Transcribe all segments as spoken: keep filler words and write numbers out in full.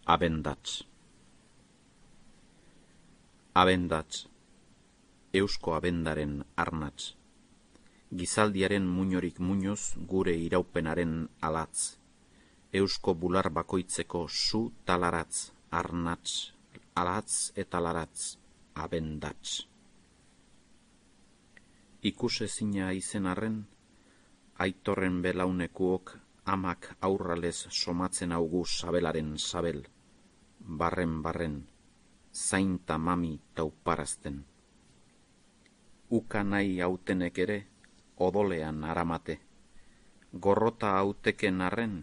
Abendatz. Abendatz, eusko abendaren arnatz, gizaldiaren muinorik muñoz gure iraupenaren alatz, eusko bular bakoitzeko zu talaratz, arnatz, alatz eta laratz, abendatz. Ikusezina izen arren, aitorren belaunekuok amak aurralez somatzen augu sabelaren sabel, barren barren, zainta mami tauparazten. Uka nahi hautenek ere, odolean aramate. Gorrota hauteken arren,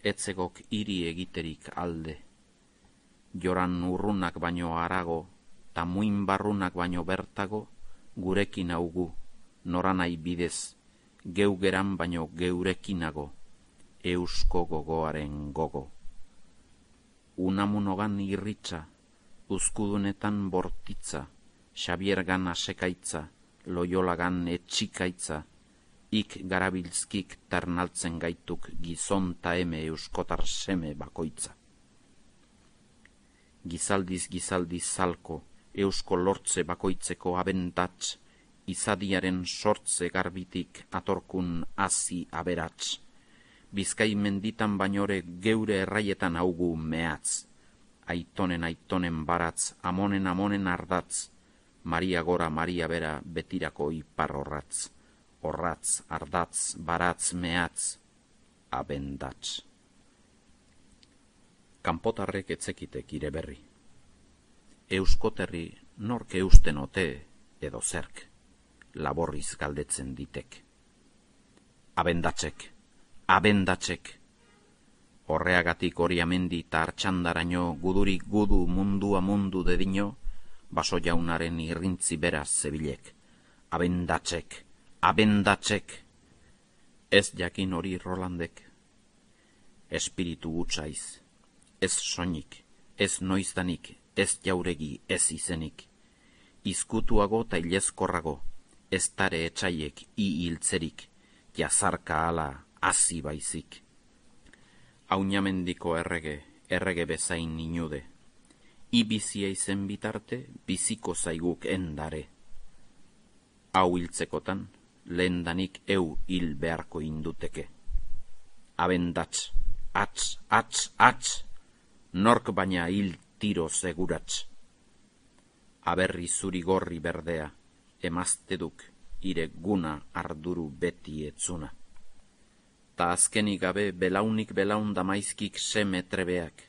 etzegok hiri egiterik alde. Joran urrunak baino arago, ta muin barrunak baino bertago, gurekin augu, noranai bidez, geu geran baino geurekinago, eusko gogoaren gogo. Unamunogan irritza, uzkudunetan bortitza, Xabiergan asekaitza, Loiolagan etxikaitza, ik garabilzkik ternaltzen gaituk gizon ta eme euskotar seme bakoitza. Gizaldiz gizaldiz zalko, eusko lortze bakoitzeko abentatz, izadiaren sortze garbitik atorkun hazi aberatz. Bizkai menditan bainore geure erraietan augu mehatz. Aitonen aitonen baratz, amonen amonen ardatz, Maria gora Maria bera betirako ipar horratz, horratz, ardatz, baratz, mehatz, abendatz. Kanpotarrek etzekitek ire berri. Euskoterri nork eusten ote edo zerk, laborriz galdetzen ditek. Abendatzek, abendatzek. Horreagatik hori amendi eta hartxandaraino gudurik gudu mundua mundu dedino, baso jaunaren irrintzi beraz zebilek. Abendatzek, abendatzek. Ez jakin hori Rolandek. Espiritu gutzaiz, ez soinik, ez noizdanik, ez jauregi, ez izenik. Izkutuago ta ilezkorrago, ez tare etxaiek i hiltzerik, jazarka ala hazi baizik. Aunamendiko errege, errege bezain inude. Ibizia izen bitarte, biziko zaiguk endare. Hau hiltzekotan, lehendanik eu hil beharko induteke. Abendatz, atz, atz, atz, nork baina hil tiro seguratz. Aberri zuri gorri berdea, emazteduk, ire guna arduru beti etzuna. Ta azkenik gabe belaunik belaun damaizkik seme trebeak,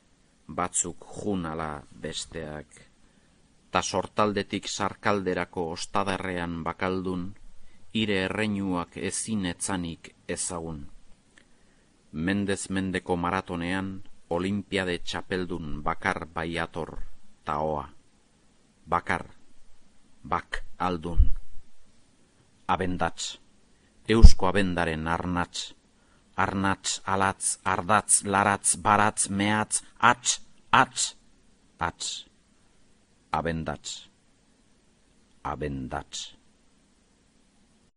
batzuk junala besteak. Ta sortaldetik sarkalderako ostadarrean bakaldun, ire erreinuak ezin etzanik ezagun. Mendez mendeko maratonean, olimpiade txapeldun bakar baiator taoa. Bakar, bak aldun. Abendatz, eusko abendaren arnatz. Arnatz, alatz, ardatz, laratz, baratz, mehatz, atz, atz, atz. Abendatz, abendatz.